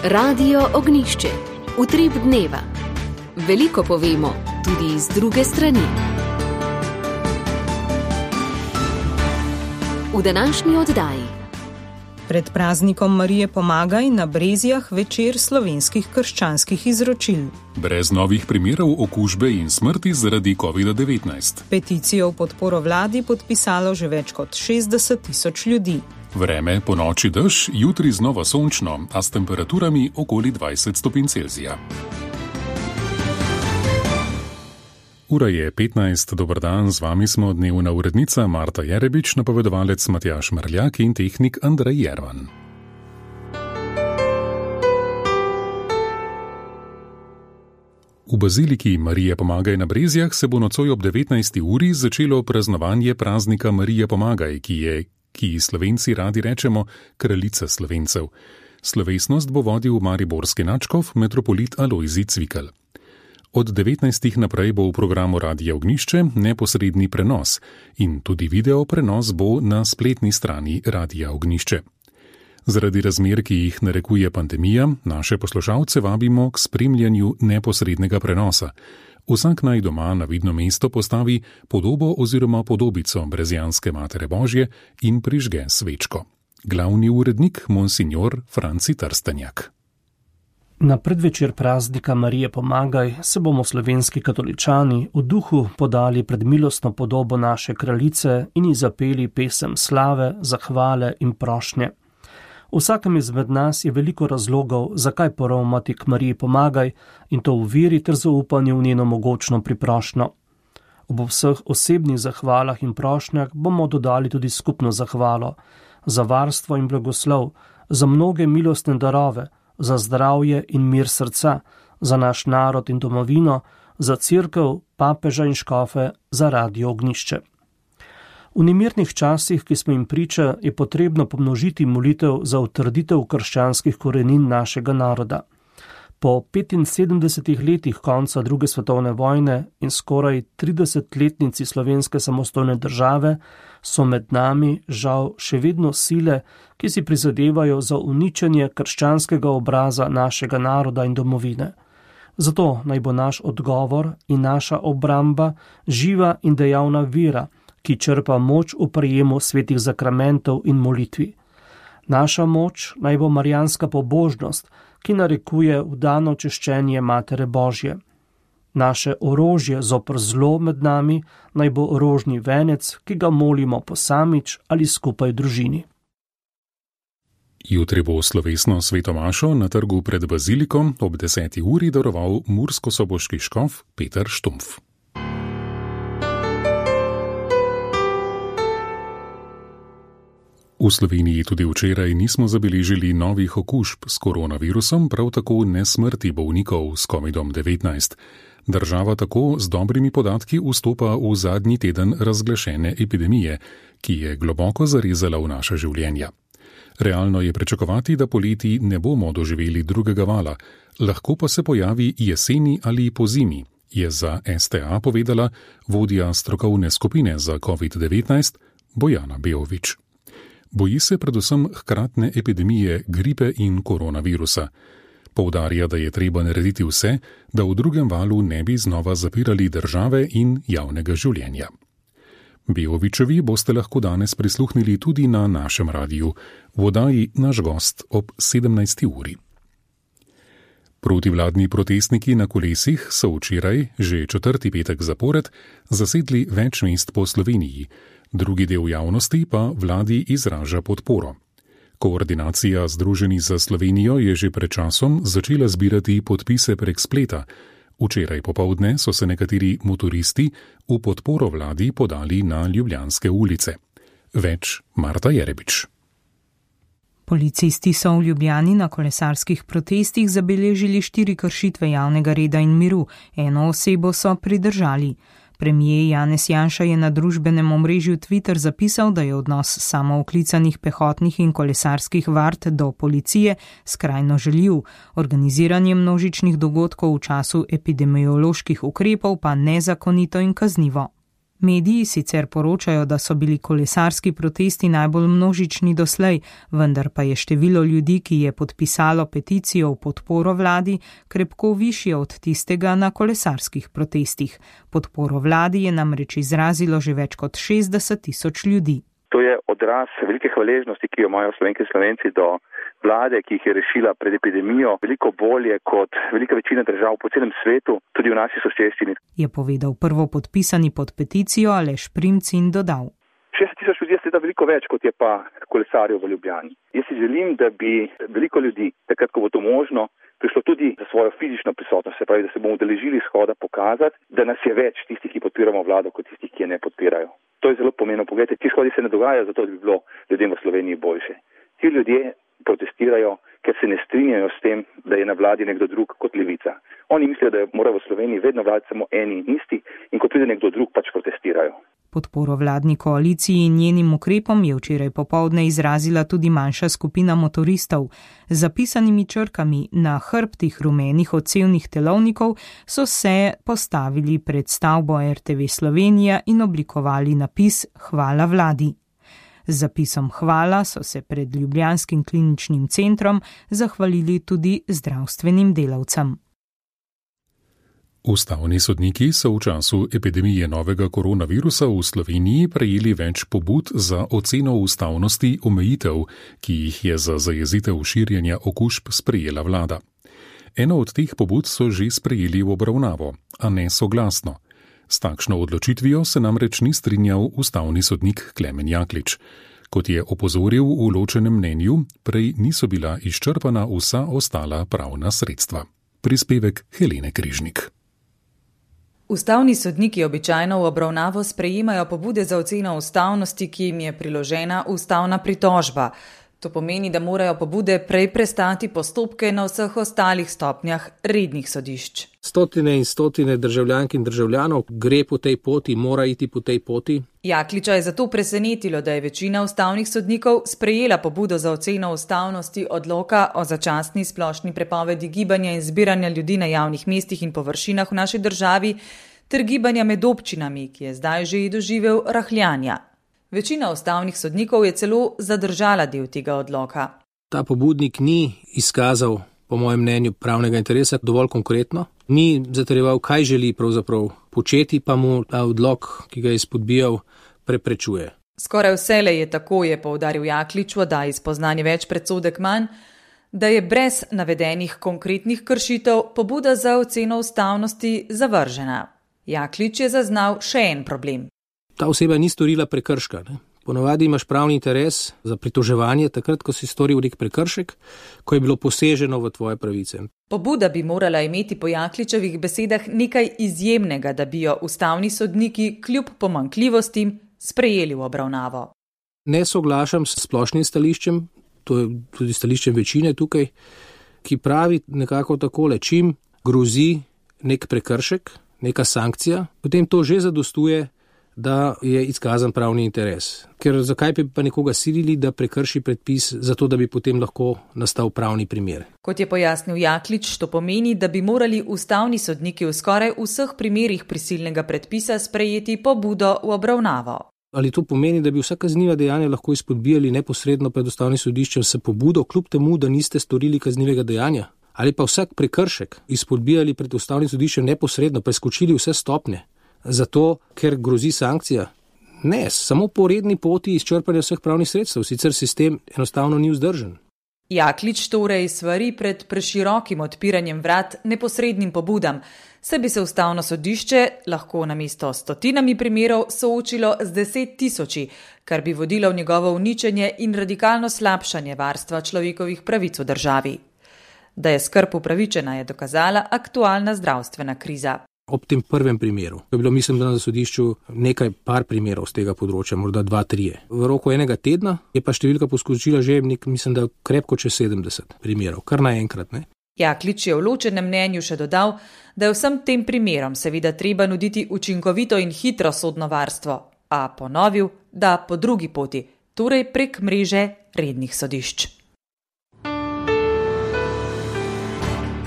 Radio Ognjišče. Utrip dneva. Veliko povemo, tudi iz druge strani. V današnji oddaji. Pred praznikom Marije Pomagaj na Brezjah večer slovenskih krščanskih izročil. Brez novih primerov okužbe in smrti zaradi COVID-19. Peticijo v podporo vladi podpisalo že več kot 60.000 ljudi. Vreme po noči dež, jutri znova sončno, a s temperaturami okoli 20 stopinj Celzija. Ura je 15, dober dan, z vami smo dnevna urednica Marta Jerebič, napovedovalec Matjaž Mrljak in tehnik Andrej Jervan. V baziliki Marije Pomagaj na Brezjah se bo nocoj ob 19. uri začelo praznovanje praznika Marije Pomagaj, ki Slovenci radi rečemo kraljica Slovencev. Slovesnost bo vodil mariborski nadškof metropolit Alojzij Cvikl. Od 19. naprej bo v programu Radia Ognjišče neposredni prenos in tudi video prenos bo na spletni strani Radia Ognjišče. Zaradi razmer, ki jih narekuje pandemija, naše poslušalce vabimo k spremljanju neposrednega prenosa. Vsak naj doma na vidno mesto postavi podobo oziroma podobico brezjanske Matere Božje in prižge svečko. Glavni urednik monsignor Franci Trstenjak. Na predvečer praznika Marije Pomagaj se bomo slovenski katoličani v duhu podali pred milostno podobo naše kraljice in ji zapeli pesem slave, zahvale in prošnje. Vsakem izmed nas je veliko razlogov, zakaj poravnati k Mariji Pomagaj in to v veri ter zaupanju v njeno mogočno priprošnjo. Ob vseh osebnih zahvalah in prošnjah bomo dodali tudi skupno zahvalo za varstvo in blagoslov, za mnoge milostne darove, za zdravje in mir srca, za naš narod in domovino, za cerkev, papeža in škofe, za Radio Ognjišče. V nemirnih časih, ki smo jim priča, je potrebno pomnožiti molitev za utrditev krščanskih korenin našega naroda. Po 75 letih konca druge svetovne vojne in skoraj 30-letnici slovenske samostojne države so med nami žal še vedno sile, ki si prizadevajo za uničenje krščanskega obraza našega naroda in domovine. Zato naj bo naš odgovor in naša obramba živa in dejavna vera, ki črpa moč v prejemu svetih zakramentov in molitvi. Naša moč naj bo marijanska pobožnost, ki narekuje vdano češčenje Matere Božje. Naše orožje zoper zlo med nami naj bo rožni venec, ki ga molimo posamič ali skupaj v družini. Jutri bo slovesno sveto mašo na trgu pred baziliko ob 10. uri daroval murskosoboški škof Peter Štumpf. V Sloveniji tudi včeraj nismo zabeležili novih okužb s koronavirusom, prav tako ne smrti bolnikov s COVID-19. Država tako z dobrimi podatki vstopa v zadnji teden razglašene epidemije, ki je globoko zarezala v naša življenja. Realno je pričakovati, da poleti ne bomo doživeli drugega vala, lahko pa se pojavi jeseni ali pozimi, je za STA povedala vodja strokovne skupine za COVID-19 Bojana Beovič. Boji se predvsem hkratne epidemije gripe in koronavirusa. Poudarja, da je treba narediti vse, da v drugem valu ne bi znova zapirali države in javnega življenja. Beovičevi boste lahko danes prisluhnili tudi na našem radiju, v oddaji Naš gost ob 17. uri. Protivladni protestniki na kolesih so včeraj, že 4. petek zapored, zasedli več mest po Sloveniji. Drugi del javnosti pa vladi izraža podporo. Koordinacija Združenih za Slovenijo je že pred časom začela zbirati podpise prek spleta. Včeraj popoldne so se nekateri motoristi v podporo vladi podali na ljubljanske ulice. Več Marta Jerebič. Policisti so v Ljubljani na kolesarskih protestih zabeležili 4 kršitve javnega reda in miru, 1 osebo so pridržali. Premijer Janez Janša je na družbenem omrežju Twitter zapisal, da je odnos samooklicanih pehotnih in kolesarskih vard do policije skrajno žaljiv, organiziranje množičnih dogodkov v času epidemioloških ukrepov pa nezakonito in kaznivo. Mediji sicer poročajo, da so bili kolesarski protesti najbolj množični doslej, vendar pa je število ljudi, ki je podpisalo peticijo v podporo vladi, krepko višje od tistega na kolesarskih protestih. Podporo vladi je namreč izrazilo že več kot 60,000 ljudi. To je odraz velike hvaležnosti, ki jo imajo Slovenke in Slovenci do vlade, ki jih je rešila pred epidemijo veliko bolje kot velika večina držav po celem svetu, tudi v naši soseščini. Je povedal prvopodpisani pod peticijo Aleš Primc in dodal. 60,000 ljudi je seveda veliko več, kot je pa kolesarjev v Ljubljani. Jaz si želim, da bi veliko ljudi, takrat ko bo to možno, prišlo tudi za svojo fizično prisotnost, se pravi, da se bomo udeležili shoda pokazati, da nas je več tistih, ki podpiramo vlado, kot tistih, ki je ne podpirajo. To je zelo pomembno. Poglejte, ti shodi se ne dogajajo zato, da bi bilo ljudem v Sloveniji boljše. Ti ljudje protestirajo, ker se ne strinjajo s tem, da je na vladi nekdo drug kot levica. Oni mislijo, da mora v Sloveniji vedno vladati samo eni in isti in ko pride nekdo drug, pač protestirajo. Podporo vladni koaliciji in njenim ukrepom je včeraj popoldne izrazila tudi manjša skupina motoristov. Z zapisanimi črkami na hrbtih rumenih odsevnih telovnikov so se postavili pred stavbo RTV Slovenija in oblikovali napis Hvala vladi. Z zapisom hvala so se pred ljubljanskim kliničnim centrom zahvalili tudi zdravstvenim delavcem. Ustavni sodniki so v času epidemije novega koronavirusa v Sloveniji prejeli več pobud za oceno ustavnosti omejitev, ki jih je za zajezitev širjenja okužb sprejela vlada. Eno od teh pobud so že sprejeli v obravnavo, a ne soglasno. S takšno odločitvijo se namreč ni strinjal ustavni sodnik Klemen Jaklič. Kot je opozoril v ločenem mnenju, prej niso bila izčrpana vsa ostala pravna sredstva. Prispevek Helene Križnik. Ustavni sodniki običajno v obravnavo sprejemajo pobude za oceno ustavnosti, ki jim je priložena ustavna pritožba. To pomeni, da morajo pobude prej prestati postopke na vseh ostalih stopnjah rednih sodišč. Stotine in stotine državljank in državljanov gre po tej poti, mora iti po tej poti. Jakliča je zato presenetilo, da je večina ustavnih sodnikov sprejela pobudo za oceno ustavnosti odloka o začasni splošni prepovedi gibanja in zbiranja ljudi na javnih mestih in površinah v naši državi ter gibanja med občinami, ki je zdaj že doživel rahljanja. Večina ustavnih sodnikov je celo zadržala del tega odloka. Ta pobudnik ni izkazal, po mojem mnenju, pravnega interesa dovolj konkretno. Ni zatrjeval, kaj želi pravzaprav početi, pa mu ta odlok, ki ga je izpodbijal, preprečuje. Skoraj vselej je tako, je poudaril Jaklič, da je spoznanje več predsodek manj, da je brez navedenih konkretnih kršitev pobuda za oceno ustavnosti zavržena. Jaklič je zaznal še en problem. Ta oseba ni storila prekrška. Ponavadi imaš pravni interes za pritoževanje takrat, ko si storil nek prekršek, ko je bilo poseženo v tvoje pravice. Pobuda bi morala imeti po Jakličevih besedah nekaj izjemnega, da bi jo ustavni sodniki kljub pomanjkljivostim sprejeli v obravnavo. Ne soglašam s splošnim stališčem, to je tudi stališčem večine tukaj, ki pravi nekako takole, čim grozi nek prekršek, neka sankcija, potem to že zadostuje, da je izkazan pravni interes. Ker zakaj bi pa nekoga silili, da prekrši predpis, zato da bi potem lahko nastal pravni primer? Kot je pojasnil Jaklič, to pomeni, da bi morali ustavni sodniki v skoraj vseh primerih prisilnega predpisa sprejeti pobudo v obravnavo. Ali to pomeni, da bi vsa kazniva dejanja lahko izpodbijali neposredno pred ustavnim sodiščem s pobudo, kljub temu, da niste storili kaznivega dejanja? Ali pa vsak prekršek izpodbijali pred ustavnim sodiščem neposredno, preskočili vse stopnje? Zato, ker grozi sankcija? Ne, samo po redni poti izčrpanja vseh pravnih sredstev, sicer sistem enostavno ni vzdržen. Jaklič torej svari pred preširokim odpiranjem vrat neposrednim pobudam, saj bi se ustavno sodišče lahko namesto stotinami primerov soočilo z 10.000, kar bi vodilo v njegovo uničenje in radikalno slabšanje varstva človekovih pravic v državi. Da je skrb upravičena, je dokazala aktualna zdravstvena kriza. Ob tem prvem primeru, je bilo mislim, da na sodišču par primerov z tega področja, morda 2-3. V roku enega tedna je pa številka poskočila že mislim, da krepko čez 70 primerov, kar naenkrat, ne. Jaklič je v ločenem mnenju še dodal, da je vsem tem primerom seveda treba nuditi učinkovito in hitro sodno varstvo, a ponovil, da po drugi poti, torej prek mreže rednih sodišč.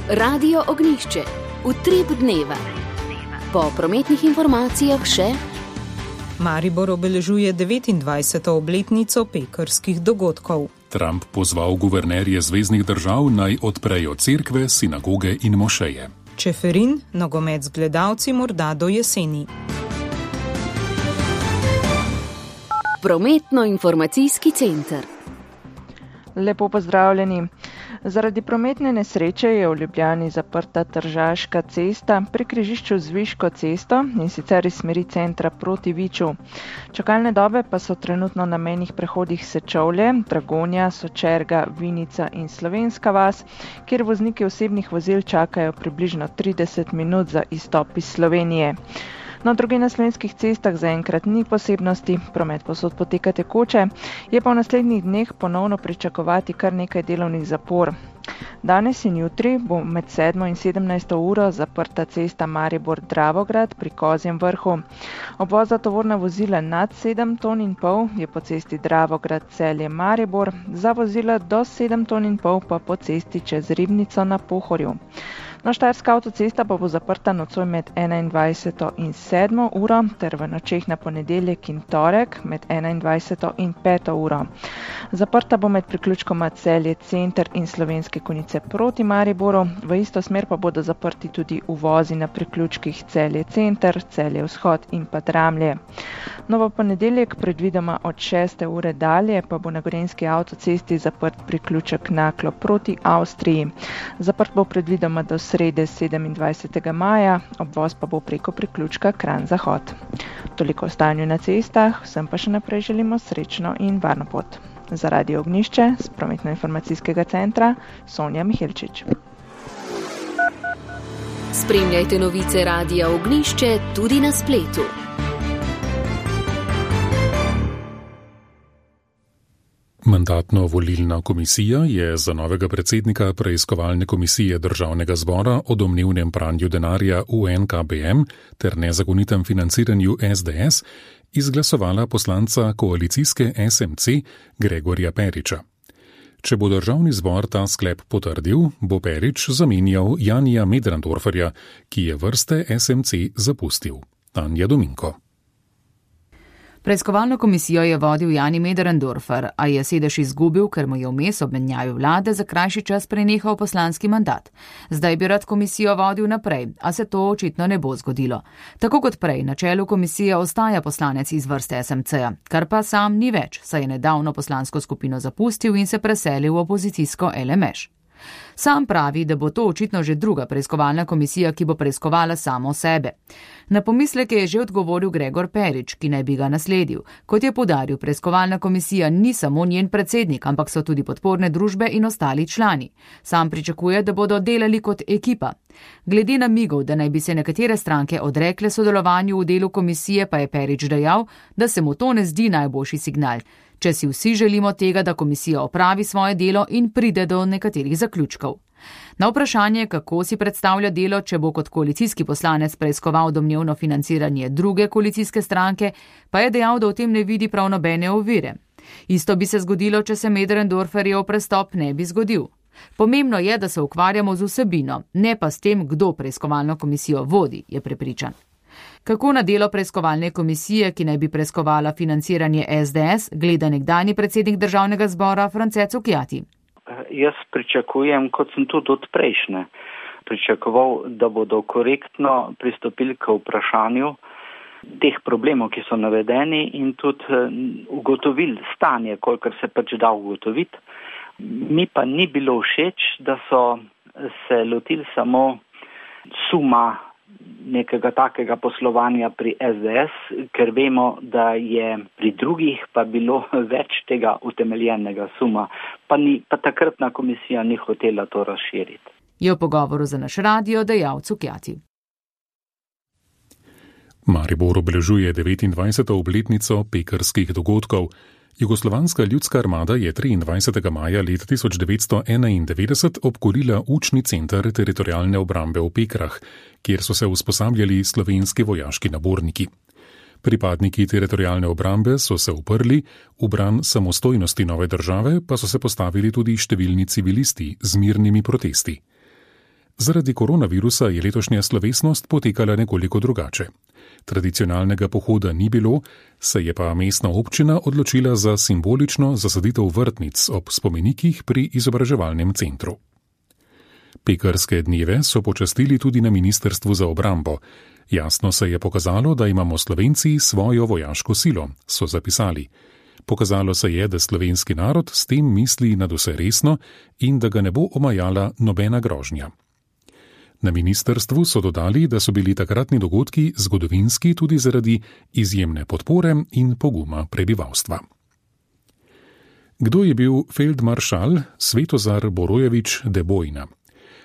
Radio Ognjišče. Utrip dneva. Po prometnih informacijah še Maribor obeležuje 29. obletnico pekrskih dogodkov. Trump pozval guvernerje zveznih držav naj odprejo cerkve, sinagoge in mošeje. Čeferin, nogomet z gledalci morda do jeseni. Prometno-informacijski center. Lepo pozdravljeni. Zaradi prometne nesreče je v Ljubljani zaprta Tržaška cesta pri križišču z Viško cesto in sicer iz smeri centra proti Viču. Čakalne dobe pa so trenutno na mejnih prehodih Sečovlje, Dragonja, Sočerga, Vinica in Slovenska vas, kjer vozniki osebnih vozil čakajo približno 30 minut za izstop iz Slovenije. No, druge na slovenskih cestah zaenkrat ni posebnosti, promet povsod poteka tekoče, je pa v naslednjih dneh ponovno pričakovati kar nekaj delovnih zapor. Danes in jutri bo med 7. in 17. uro zaprta cesta Maribor-Dravograd pri Kozjem vrhu. Obvoz za tovorna vozila nad 7,5 ton je po cesti Dravograd-Celje-Maribor, za vozila do 7,5 ton pa po cesti čez Ribnico na Pohorju. No, Štajerska avtocesta pa bo zaprta nocoj med 21. in 7. uro ter v nočeh na ponedeljek in torek med 21. in 5. uro. Zaprta bo med priključkoma Celje center in Slovenske Konjice proti Mariboru, v isto smer pa bodo zaprti tudi uvozi na priključkih Celje center, Celje vzhod in pa Dramlje. No, v ponedeljek predvidoma od 6. ure dalje pa bo na Gorenjski avtocesti zaprt priključek Naklo proti Avstriji. Zaprt bo predvidoma do srede 27. maja, obvoz pa bo preko priključka Kranj-Zahod. Toliko o stanju na cestah, vsem pa še naprej želimo srečno in varno pot. Za Radio Ognjišče z Prometno-informacijskega centra Sonja Mihelčič. Spremljajte novice Radia Ognjišče tudi na spletu. Mandatno-volilna komisija je za novega predsednika preiskovalne komisije Državnega zbora o domnevnem pranju denarja v NKBM ter nezakonitem financiranju SDS izglasovala poslanca koalicijske SMC Gregorja Periča. Če bo Državni zbor ta sklep potrdil, bo Perič zamenjal Janija Möderndorferja, ki je vrste SMC zapustil. Tanja Dominko. Preiskovalno komisijo je vodil Jani Möderndorfer, a je sedež izgubil, ker mu je vmes ob menjavi vlade za krajši čas prenehal poslanski mandat. Zdaj bi rad komisijo vodil naprej, a se to očitno ne bo zgodilo. Tako kot prej, na čelu komisije ostaja poslanec iz vrste SMC-ja, kar pa sam ni več, saj je nedavno poslansko skupino zapustil in se preselil v opozicijsko LMŠ. Sam pravi, da bo to očitno že druga preiskovalna komisija, ki bo preiskovala samo sebe. Na pomisleke je že odgovoril Gregor Perič, ki naj bi ga nasledil. Kot je poudaril, preiskovalna komisija ni samo njen predsednik, ampak so tudi podporne družbe in ostali člani. Sam pričakuje, da bodo delali kot ekipa. Glede namigov, da naj bi se nekatere stranke odrekle sodelovanju v delu komisije, pa je Perič dejal, da se mu to ne zdi najboljši signal. Če si vsi želimo tega, da komisija opravi svoje delo in pride do nekaterih zaključkov. Na vprašanje, kako si predstavlja delo, če bo kot koalicijski poslanec preiskoval domnevno financiranje druge koalicijske stranke, pa je dejal, da v tem ne vidi prav nobene ovire. Isto bi se zgodilo, če se Möderndorferjev prestop ne bi zgodil. Pomembno je, da se ukvarjamo z vsebino, ne pa s tem, kdo preiskovalno komisijo vodi, je prepričan. Kako na delo preiskovalne komisije, ki naj bi preiskovala financiranje SDS, gleda nekdanji predsednik Državnega zbora France Cukjati? Jaz pričakujem, kot sem tudi od prejšnje, pričakoval, da bodo korektno pristopili k vprašanju teh problemov, ki so navedeni in tudi ugotovili stanje, kolikor se pač da ugotoviti. Mi pa ni bilo všeč, da so se lotili samo suma nekega takega poslovanja pri SDS, ker vemo, da je pri drugih pa bilo več tega utemeljenega suma, pa takratna komisija ni hotela to razširiti. Je v pogovoru za naš radio dejal Cukjati. Maribor obeležuje 29. obletnico pekrskih dogodkov. Jugoslovanska ljudska armada je 23. maja leta 1991 obkolila učni center teritorialne obrambe v Pekrah, kjer so se usposabljali slovenski vojaški naborniki. Pripadniki teritorialne obrambe so se uprli, v bran samostojnosti nove države pa so se postavili tudi številni civilisti z mirnimi protesti. Zaradi koronavirusa je letošnja slovesnost potekala nekoliko drugače. Tradicionalnega pohoda ni bilo, se je pa mestna občina odločila za simbolično zasaditev vrtnic ob spomenikih pri izobraževalnem centru. Pekarske dneve so počastili tudi na Ministrstvu za obrambo. Jasno se je pokazalo, da imamo Slovenci svojo vojaško silo, so zapisali. Pokazalo se je, da slovenski narod s tem misli nadvse resno in da ga ne bo omajala nobena grožnja. Na ministrstvu so dodali, da so bili takratni dogodki zgodovinski tudi zaradi izjemne podpore in poguma prebivalstva. Kdo je bil feldmaršal Svetozar Borojevič de Bojna?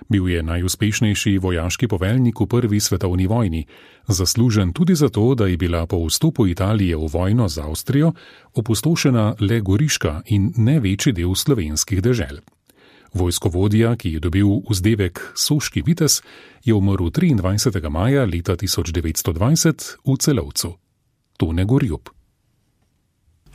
Bil je najuspešnejši vojaški poveljnik v Prvi svetovni vojni, zaslužen tudi zato, da je bila po vstopu Italije v vojno z Avstrijo opustošena le Goriška in ne večji del slovenskih dežel. Vojskovodja, ki je dobil vzdevek Soški vitez, je umrl 23. maja leta 1920 v Celovcu. Tone Gorjup.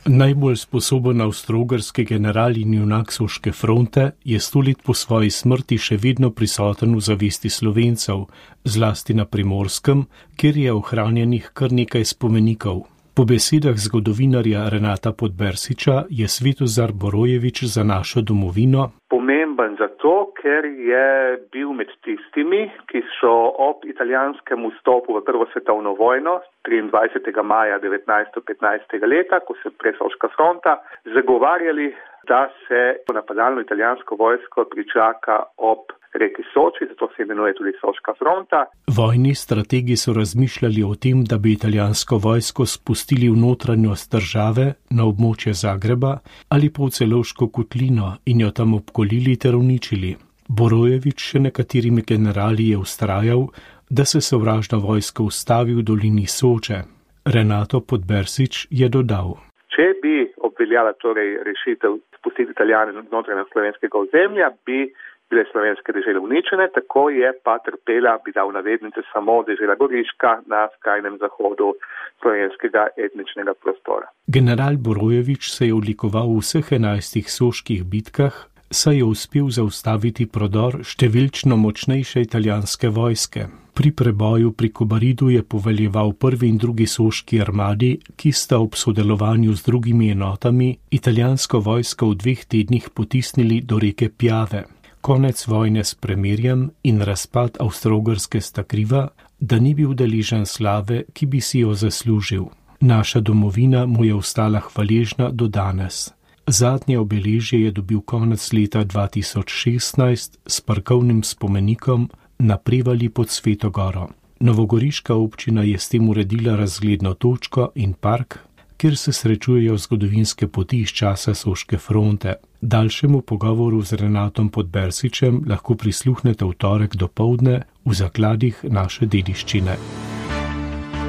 Najbolj sposoben avstro-ogrski general in junak Soške fronte je 100 let po svoji smrti še vedno prisoten v zavesti Slovencev, zlasti na Primorskem, kjer je ohranjenih kar nekaj spomenikov. Po besedah zgodovinarja Renata Podbersiča je Svetozar Borojevič za našo domovino pomemben zato, ker je bil med tistimi, ki so ob italijanskem vstopu v Prvo svetovno vojno 23. maja 1915. leta, ko se odpre Soška fronta, zagovarjali, da se napadalno italijansko vojsko pričaka ob reki Soči, zato se imenuje tudi Soška fronta. Vojni strategi so razmišljali o tem, da bi italijansko vojsko spustili v notranjost države na območje Zagreba ali pa v Celovško kotlino in jo tam obkolili ter uničili. Borojevič še nekaterimi generali je vztrajal, da se sovražna vojska ustavi v dolini Soče. Renato Podbersič je dodal: Če bi obveljala torej rešitev spustiti Italijane znotraj slovenskega ozemlja, bi bile slovenske dežele uničene, tako je pa trpela, bi dal navednice, samo dežela Goriška na skrajnem zahodu slovenskega etničnega prostora. General Borojevič se je odlikoval v vseh 11 soških bitkah, saj je uspel zaustaviti prodor številčno močnejše italijanske vojske. Pri preboju pri Kobaridu je poveljeval prvi in drugi soški armadi, ki sta ob sodelovanju z drugimi enotami italijansko vojsko v 2 tednih potisnili do reke Piave. Konec vojne s premirjem in razpad Avstro-Ogrske sta kriva, da ni bil deležen slave, ki bi si jo zaslužil. Naša domovina mu je ostala hvaležna do danes. Zadnje obeležje je dobil konec leta 2016 s parkovnim spomenikom na Prevali pod Sveto Goro. Novogoriška občina je s tem uredila razgledno točko in park, kjer se srečujejo zgodovinske poti iz časa Soške fronte. Daljšemu pogovoru z Renatom Podbersičem lahko prisluhnete v torek dopoldne v zakladih naše dediščine.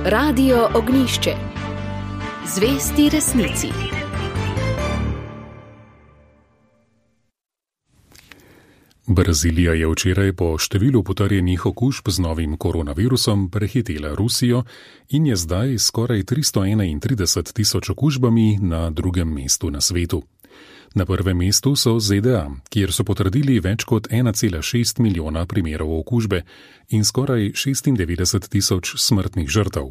Radio Ognjišče. Zvesti resnici. Brazilija je včeraj po številu potrjenih okužb z novim koronavirusom prehitela Rusijo in je zdaj skoraj 331 tisoč okužbami na drugem mestu na svetu. Na prvem mestu so ZDA, kjer so potrdili več kot 1,6 milijona primerov okužbe in skoraj 96 tisoč smrtnih žrtev.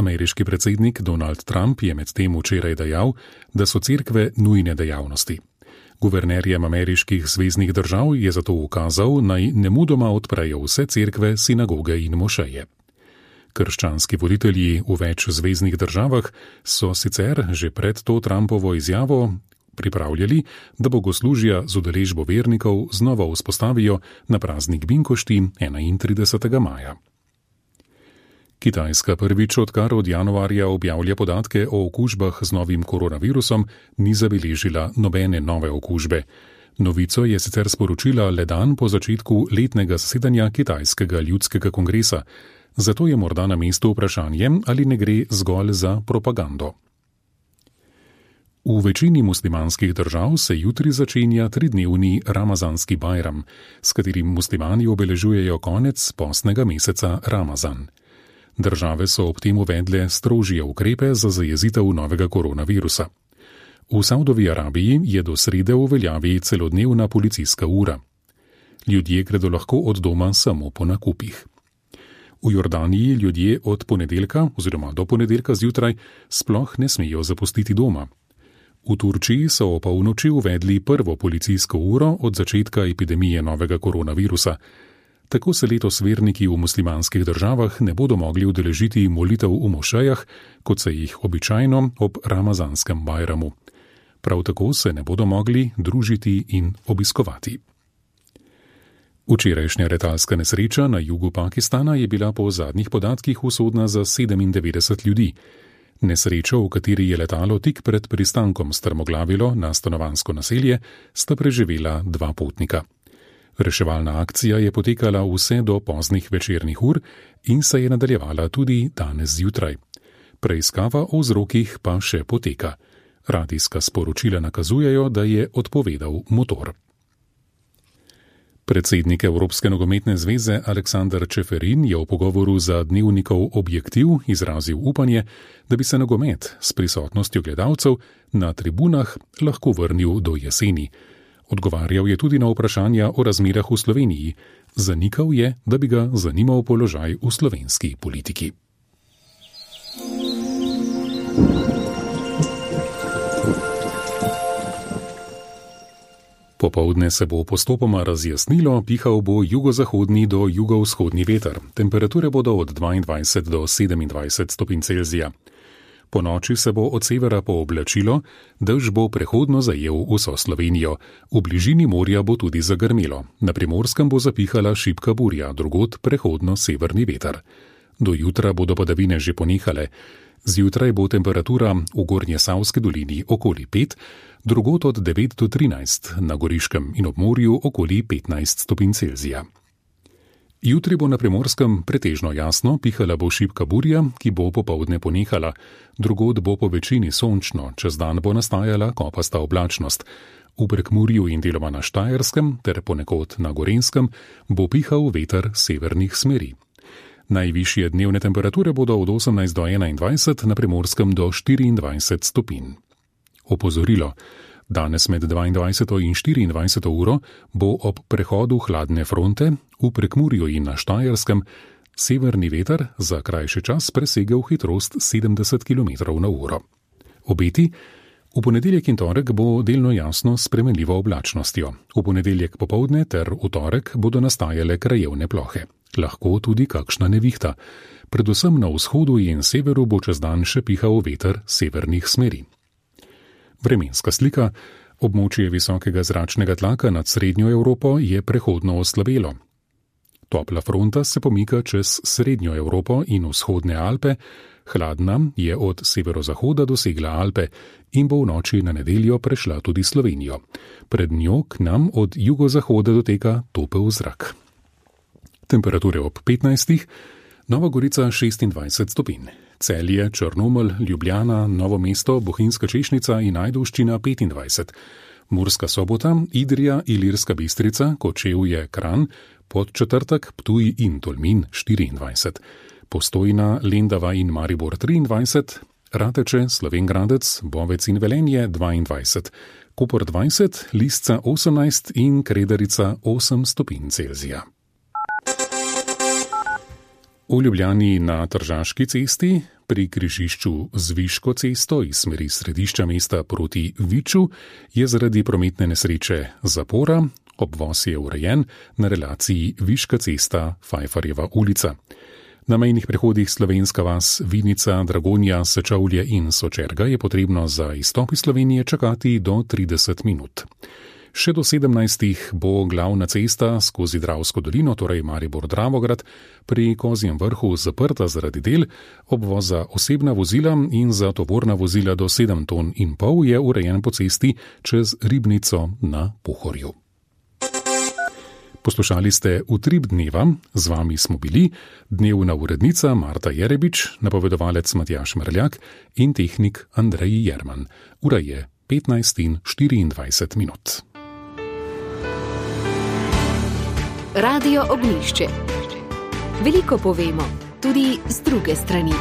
Ameriški predsednik Donald Trump je medtem včeraj dejal, da so cerkve nujne dejavnosti. Guvernerjem ameriških zveznih držav je zato ukazal, naj nemudoma odprejo vse cerkve, sinagoge in mošeje. Krščanski voditelji v več zveznih državah so sicer že pred to Trumpovo izjavo pripravljali, da bogoslužja z udeležbo vernikov znova vzpostavijo na praznik Binkošti 31. maja. Kitajska prvič, odkar od januarja objavlja podatke o okužbah z novim koronavirusom, ni zabeležila nobene nove okužbe. Novico je sicer sporočila le dan po začetku letnega zasedanja Kitajskega ljudskega kongresa, zato je morda na mestu vprašanje, ali ne gre zgolj za propagando. V večini muslimanskih držav se jutri začenja 3-dnevni ramazanski bajram, s katerim muslimani obeležujejo konec postnega meseca Ramazan. Države so ob tem uvedle strožje ukrepe za zajezitev novega koronavirusa. V Saudovi Arabiji je do srede v veljavi celodnevna policijska ura. Ljudje gredo lahko od doma samo po nakupih. V Jordaniji ljudje od ponedeljka oziroma do ponedeljka zjutraj sploh ne smejo zapustiti doma. V Turčiji so o polnoči uvedli prvo policijsko uro od začetka epidemije novega koronavirusa. Tako se letos verniki v muslimanskih državah ne bodo mogli udeležiti molitev v mošejah, kot se jih običajno ob ramazanskem bajramu. Prav tako se ne bodo mogli družiti in obiskovati. Včerajšnja letalska nesreča na jugu Pakistana je bila po zadnjih podatkih usodna za 97 ljudi. Nesrečo, v kateri je letalo tik pred pristankom strmoglavilo na stanovanjsko naselje, sta preživela 2 potnika. Reševalna akcija je potekala vse do poznih večernih ur in se je nadaljevala tudi danes zjutraj. Preiskava o vzrokih pa še poteka. Radijska sporočila nakazujejo, da je odpovedal motor. Predsednik Evropske nogometne zveze Aleksander Čeferin je v pogovoru za dnevnikov Objektiv izrazil upanje, da bi se nogomet s prisotnostjo gledalcev na tribunah lahko vrnil do jeseni. Odgovarjal je tudi na vprašanja o razmerah v Sloveniji. Zanikal je, da bi ga zanimal položaj v slovenski politiki. Popoldne se bo postopoma razjasnilo, pihal bo jugozahodni do jugovzhodni veter. Temperature bodo od 22 do 27 stopinj Celzija. Po noči se bo od severa pooblačilo, dež bo prehodno zajel vso Slovenijo. V bližini morja bo tudi zagrmelo. Na Primorskem bo zapihala šibka burja, drugod prehodno severni veter. Do jutra bodo padavine že ponehale. Zjutraj bo temperatura v Gornjesavski dolini okoli 5, drugod od 9 do 13, na Goriškem in ob morju okoli 15 stopinj Celzija. Jutri bo na Primorskem pretežno jasno, pihala bo šibka burja, ki bo popoldne ponehala. Drugod bo po večini sončno, čez dan bo nastajala kopasta oblačnost. V Prekmurju in deloma na Štajerskem ter ponekod na Gorenjskem bo pihal veter severnih smeri. Najvišje dnevne temperature bodo od 18 do 21, na Primorskem do 24 stopinj. Opozorilo. Danes med 22 in 24 uro bo ob prehodu hladne fronte v Prekmurju in na Štajerskem severni veter za krajši čas presegel hitrost 70 km/h. Obeti. V ponedeljek in torek bo delno jasno s spremenljivo oblačnostjo. V ponedeljek popoldne ter v torek bodo nastajale krajevne plohe. Lahko tudi kakšna nevihta. Predvsem na vzhodu in severu bo čez dan še pihal veter severnih smeri. Vremenska slika. Območje visokega zračnega tlaka nad srednjo Evropo je prehodno oslabelo. Topla fronta se pomika čez srednjo Evropo in vzhodne Alpe, hladna je od severozahoda dosegla Alpe in bo v noči na nedeljo prešla tudi Slovenijo. Pred njo k nam od jugozahoda doteka topel zrak. Temperature ob 15, Nova Gorica 26 stopinj, Celje, Črnomelj, Ljubljana, Novo mesto, Bohinjska Češnica in Ajdovščina 25, Murska Sobota, Idrija, Ilirska Bistrica, Kočevje, Kranj, Podčetrtek, Ptuj in Tolmin 24, Postojna, Lendava in Maribor 23, Rateče, Slovenj Gradec, Bovec in Velenje 22, Koper 20, Lisca 18 in Kredarica 8 stopinj Celzija. V Ljubljani na Tržaški cesti pri križišču z Viško cesto iz smeri središča mesta proti Viču je zaradi prometne nesreče zapora, obvoz je urejen na relaciji Viška cesta Fajfarjeva ulica. Na mejnih prehodih Slovenska vas, Vinica, Dragonja, Sečovlje in Sočerga je potrebno za izstop iz Slovenije čakati do 30 minut. Še do 17. bo glavna cesta skozi Dravsko dolino, torej Maribor-Dravograd, pri Kozjem vrhu zaprta zaradi del, obvoz za osebna vozila in za tovorna vozila do 7,5 ton je urejen po cesti čez Ribnico na Pohorju. Poslušali ste Utrip dneva, z vami smo bili dnevna urednica Marta Jerebič, napovedovalec Matjaž Mrljak in tehnik Andrej Jerman. Ura je 15:24 minut. Radio Ognjišče. Veliko povemo, tudi z druge strani.